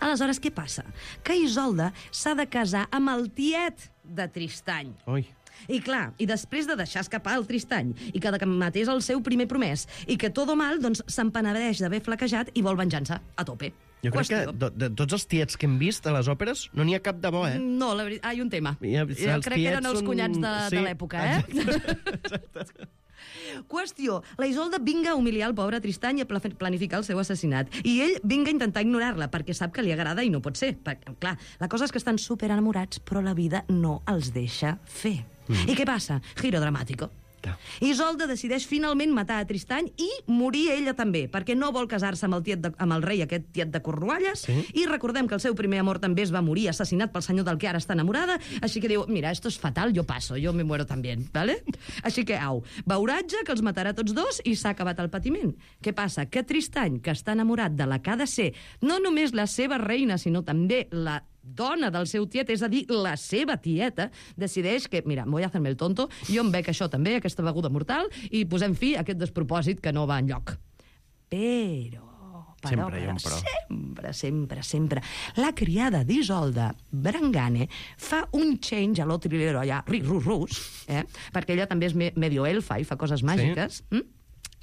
Aleshores, què passa? Que Isolda s'ha de casar amb el tiet de Tristany. Ui. I clar, i després de deixar escapar el Tristany i que matés el seu primer promès i que todo mal, doncs se'n penedeix d'haver flaquejat i vol venjança a tope. Jo crec que de tots els tiets que hem vist a les òperes no n'hi ha cap de bo, No, la veritat... Hi ha un tema. Els Jo crec que eren tiets els són- cunyats sí, de l'època, Qüestió, la Isolda vinga a humiliar el pobre Tristany i a planificar el seu assassinat. I ell vinga a intentar ignorar-la, perquè sap que li agrada i no pot ser. Perquè, clar, la cosa és que estan super enamorats, però la vida no els deixa fer. I què passa? Giro dramàtico. Clar. Isolda decideix finalment matar a Tristany i morir ella també, perquè no vol casar-se amb el rei, aquest tiet de Cornualles, i recordem que el seu primer amor també es va morir assassinat pel senyor del que ara està enamorada, així que diu, mira, esto es fatal, yo paso, yo me muero también, ¿vale? Així que, beuratge, que els matarà tots dos, i s'ha acabat el patiment. Què passa? Que Tristany, que està enamorat de la que ha de ser no només la seva reina, sinó també la dona del seu tiet, és a dir, la seva tieta, decideix que, mira, voy a hacerme el tonto, jo em bec això també, aquesta beguda mortal, i posem fi a aquest despropòsit que no va enlloc. Però, Sempre hi ha un però. sempre, la criada d'Isolda, Brangane, fa un change a lo trilero allà, rus, perquè ella també és medio elfa i fa coses màgiques,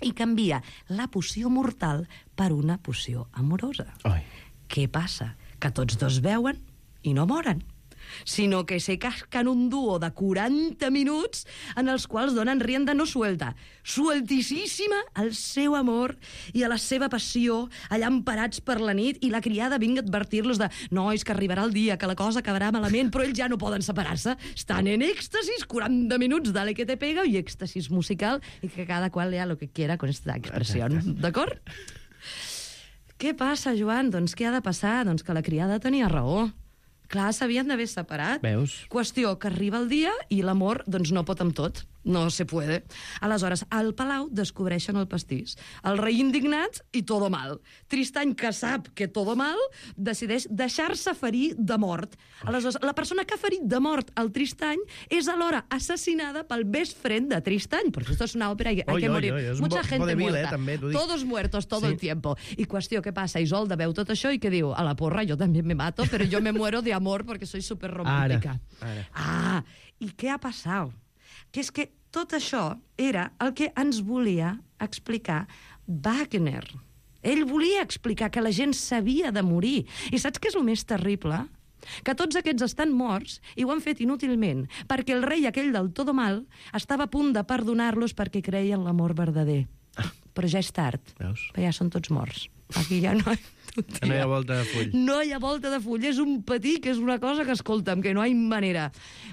i canvia la poció mortal per una poció amorosa. Ai. Què passa? Que tots dos veuen i no moren, sinó que se cascan un dúo de 40 minuts en els quals donen rienda no suelta, sueltíssima al seu amor i a la seva passió, allà emparats per la nit, i la criada vinga a advertir-los de nois, que arribarà el dia, que la cosa acabarà malament, però ells ja no poden separar-se, estan en èxtasis, 40 minuts, dale que te pega, i èxtasis musical, i que cada qual lea lo que quiera con esta expressió, d'acord? Què passa, Joan? Doncs què ha de passar? Doncs que la criada tenia raó. Clar, s'havien d'haver separat. Veus? Qüestió que arriba el dia i l'amor doncs no pot amb tot. No se puede. Aleshores, al palau descobreixen el pastís. El rei indignat i todo mal. Tristany, que sap que todo mal, decideix deixar-se ferir de mort. Aleshores, la persona que ha ferit de mort el Tristany és alhora assassinada pel best friend de Tristany. Porque esto es una ópera y hay que morir. És Mucha gente vodevil, muerta. també, t'ho dic. Todos muertos todo Sí. el tiempo. I qüestió, què passa? Isolda veu tot això i què diu? A la porra, jo també me mato, però jo me muero de amor porque soy súper romántica. Ara. I què ha passat? Que és que tot això era el que ens volia explicar Wagner. Ell volia explicar que la gent s'havia de morir. I saps què és el més terrible? Que tots aquests estan morts i ho han fet inútilment, perquè el rei aquell del todo mal estava a punt de perdonar-los perquè creia en l'amor verdader. Però ja és tard, Veus? perquè ja són tots morts. Aquí ja no No hi ha volta de full. no hi ha volta de full, és un patí que és una cosa que, escolta'm, que no hi ha manera.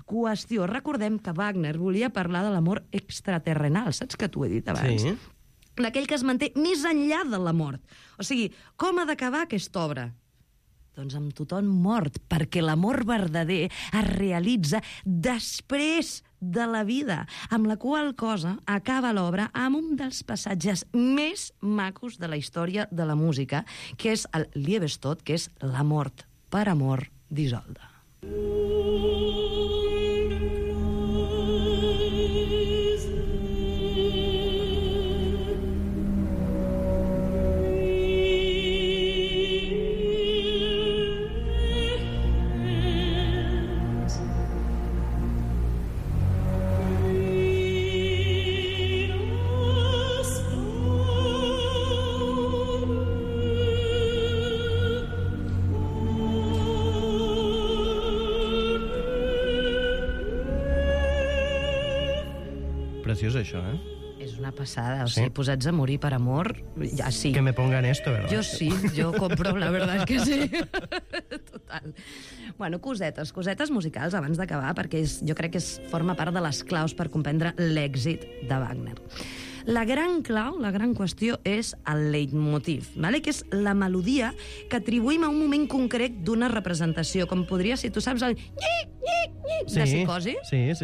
Qüestió, recordem que Wagner volia parlar de l'amor extraterrenal, saps que t'ho he dit abans? Sí. D'aquell que es manté més enllà de la mort. O sigui, com ha d'acabar aquesta obra? Doncs amb tothom mort, perquè l'amor verdader es realitza després de la vida, amb la qual cosa acaba l'obra amb un dels passatges més macos de la història de la música, que és el Liebestod, que és la mort per amor d'Isolda. Preciós, això, eh? És una passada, o sigui, posats a morir per amor, ja sí. Que me pongan esto, ¿verdad? Yo sí, yo compro, la verdad es que sí. Total. Bueno, cosetes musicals abans d'acabar, perquè jo crec que forma part de les claus per comprendre l'èxit de Wagner. La gran clau, la gran qüestió, és el leitmotiv, vale? Que és la melodia que atribuïm a un moment concret d'una representació, com podria ser, tu saps, el de Psicosi,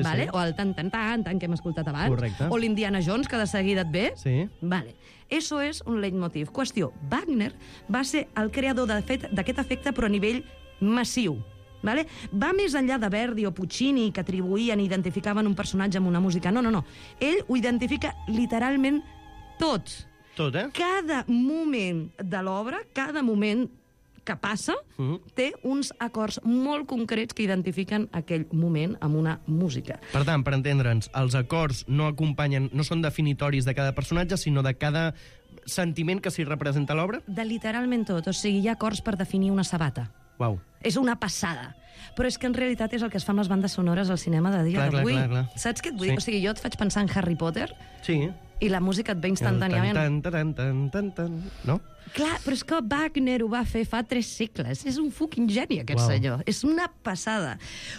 vale? O el tan-tan-tan que hem escoltat abans, correcte. O l'Indiana Jones, que de seguida et ve. Sí. Vale. Eso és un leitmotiv. Qüestió, Wagner va ser el creador d'aquest efecte, però a nivell massiu. Vale? Va més enllà de Verdi o Puccini, que atribuïen i identificaven un personatge amb una música. No. Ell ho identifica literalment tot. Tot, eh? Cada moment de l'obra, cada moment que passa, té uns acords molt concrets que identifiquen aquell moment amb una música. Per tant, per entendre'ns, els acords no acompanyen, no són definitoris de cada personatge, sinó de cada sentiment que s'hi representa a l'obra? De literalment tot. O sigui, hi ha acords per definir una sabata. Uau. És una passada. Però és que en realitat és el que es fa amb les bandes sonores al cinema de dia d'avui. Clar. Saps què et vull dir? O sigui, jo et faig pensar en Harry Potter sí. I la música et ve instantàniament. Tan, no? Clar, però és que Wagner ho va fer fa 3 segles. És un fucking geni, aquest senyor. És una passada.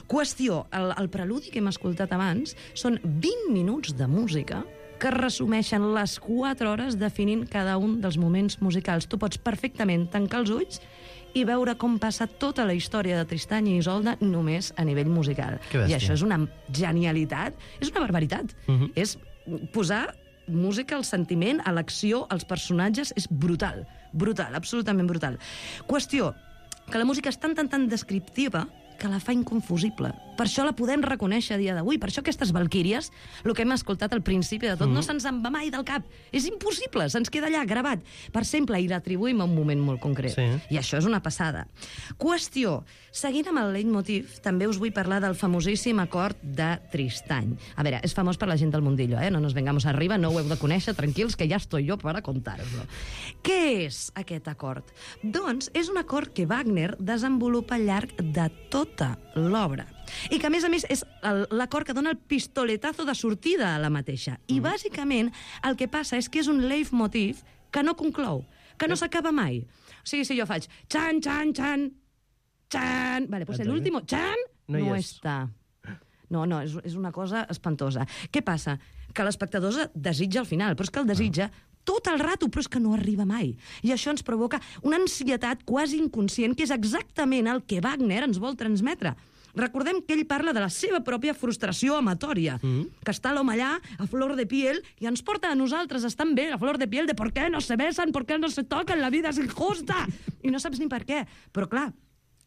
Qüestió, el preludi que hem escoltat abans són 20 minuts de música que resumeixen les 4 hores definint cada un dels moments musicals. Tu pots perfectament tancar els ulls i veure com passa tota la història de Tristany i Isolda només a nivell musical. I això és una genialitat, és una barbaritat. És posar música al sentiment, a l'acció, als personatges, és brutal, absolutament brutal. Qüestió, que la música és tan descriptiva que la fa inconfusible. Per això la podem reconèixer a dia d'avui. Per això aquestes valquíries, el que hem escoltat al principi de tot, no se'ns en va mai del cap. És impossible, se'ns queda allà gravat per sempre i l'atribuïm a un moment molt concret. Sí. I això és una passada. Qüestió, seguint amb el leitmotiv, també us vull parlar del famosíssim acord de Tristany. A veure, és famós per la gent del mundillo, no nos vengamos arriba, no ho heu de conèixer, tranquils, que ja estoy yo para contar-vos-lo. Què és aquest acord? Doncs és un acord que Wagner desenvolupa al llarg de tota l'obra. I que, a més, és l'acord que dona el pistoletazo de sortida a la mateixa. I, bàsicament, el que passa és que és un leitmotiv que no conclou, que no s'acaba mai. O sigui, si jo faig xan, xan, xan, xan... Vale, pues l'último xan no està. No, és una cosa espantosa. Què passa? Que l'espectador desitja al final, però és que el desitja tot el rato, però és que no arriba mai. I això ens provoca una ansietat quasi inconscient, que és exactament el que Wagner ens vol transmetre. Recordem que ell parla de la seva pròpia frustració amatòria, que està l'home allà, a flor de piel, i ens porta a nosaltres estan bé, a flor de piel, de por qué no se besan, por qué no se toquen, la vida és injusta, i no saps ni per què. Però clar,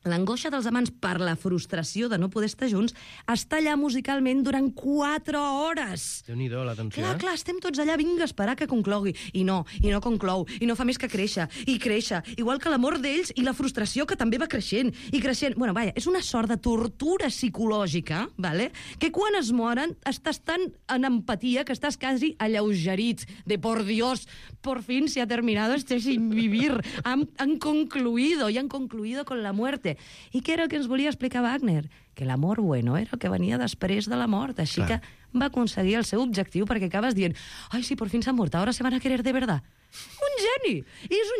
l'angoixa dels amants per la frustració de no poder estar junts està allà musicalment durant 4 hores. Déu-n'hi-do, la tensió. Clar, estem tots allà, vinga, a esperar que conclogui. I no conclou, i no fa més que créixer, i créixer, igual que l'amor d'ells i la frustració que també va creixent, i creixent. Bueno, vaja, és una sort de tortura psicològica, vale? Que quan es moren estàs tan en empatia que estàs quasi alleugerit, de por Dios, por fin se ha terminado este sin vivir, han concluido con la muerte. I què era el que ens volia explicar Wagner? Que l'amor bueno era el que venia després de la mort, així que va aconseguir el seu objectiu, perquè acabes dient ai, sí, por fin s'han mort, ahora se van a querer de verdad. Un geni!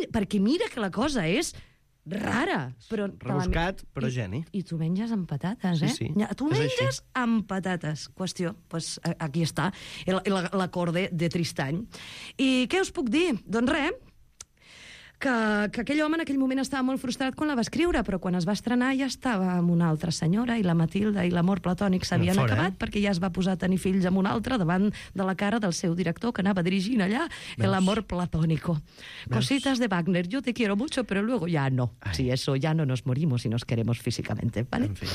Perquè mira que la cosa és rara. Però rebuscat, però geni. I tu menges amb patates, Sí. Tu menges amb patates. Qüestió, doncs aquí està, l'acord de Tristany. I què us puc dir? Doncs res, que aquell home en aquell moment estava molt frustrat quan la va escriure, però quan es va estrenar ja estava amb una altra senyora, i la Matilda i l'amor platònic s'havien acabat, perquè ja es va posar a tenir fills amb una altra davant de la cara del seu director, que anava dirigint allà, el amor platónico. Cositas de Wagner, yo te quiero mucho, pero luego ya no. Sí, eso, ya no nos morimos y nos queremos físicamente, ¿vale? En fi.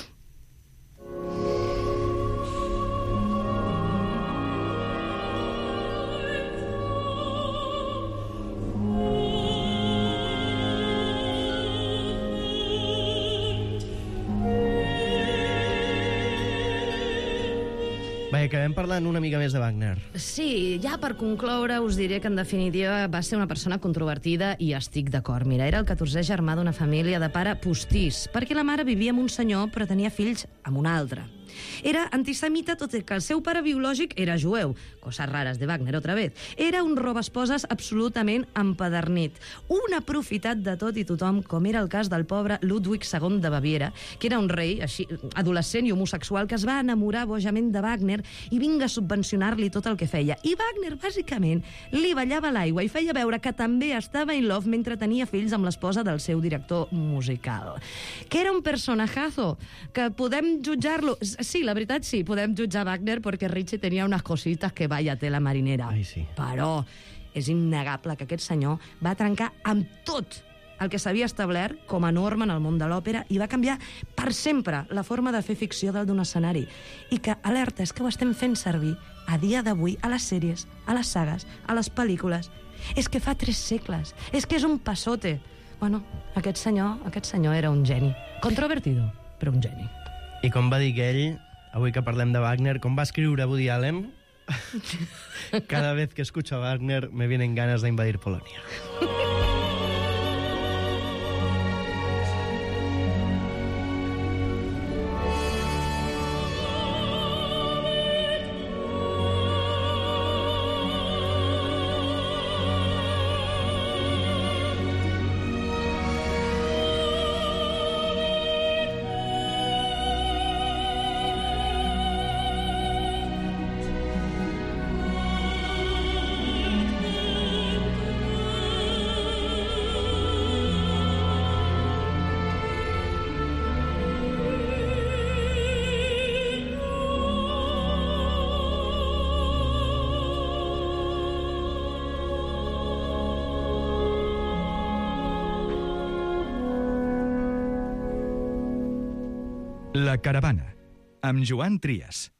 Vaja, acabem parlant una mica més de Wagner. Sí, ja per concloure us diré que en definitiva va ser una persona controvertida i estic d'acord. Mira, era el 14è germà d'una família de pare postís, perquè la mare vivia amb un senyor però tenia fills amb un altre. Era antisemita, tot i que el seu pare biològic era jueu. Coses rares de Wagner, otra vez. Era un robaesposes absolutament empadernit. Un aprofitat de tot i tothom, com era el cas del pobre Ludwig II de Baviera, que era un rei així adolescent i homosexual que es va enamorar bojament de Wagner i vinga a subvencionar-li tot el que feia. I Wagner, bàsicament, li ballava l'aigua i feia veure que també estava in love mentre tenia fills amb l'esposa del seu director musical. Que era un personajazo, que podem jutjar-lo... Sí, la veritat sí, podem jutjar Wagner perquè Richie tenia unes cosites que vaya tela marinera. Ai, sí. Però és innegable que aquest senyor va trencar amb tot el que s'havia establert com a norma en el món de l'òpera i va canviar per sempre la forma de fer ficció dalt d'un escenari. I que, alerta, és que ho estem fent servir a dia d'avui a les sèries, a les sagues, a les pel·lícules. És que fa 3 segles. És que és un passote. Bueno, aquest senyor era un geni. Controvertido, però un geni. I com va dir ell, avui que parlem de Wagner, com va escriure Woody Allen, cada vez que escucho a Wagner me vienen ganas de invadir Polonia. La Caravana, amb Joan Trias.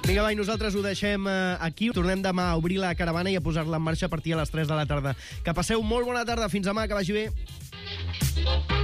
Vinga, va, i nosaltres ho deixem aquí. Tornem demà a obrir la caravana i a posar-la en marxa a partir de les 3 de la tarda. Que passeu molt bona tarda. Fins demà, que vagi bé.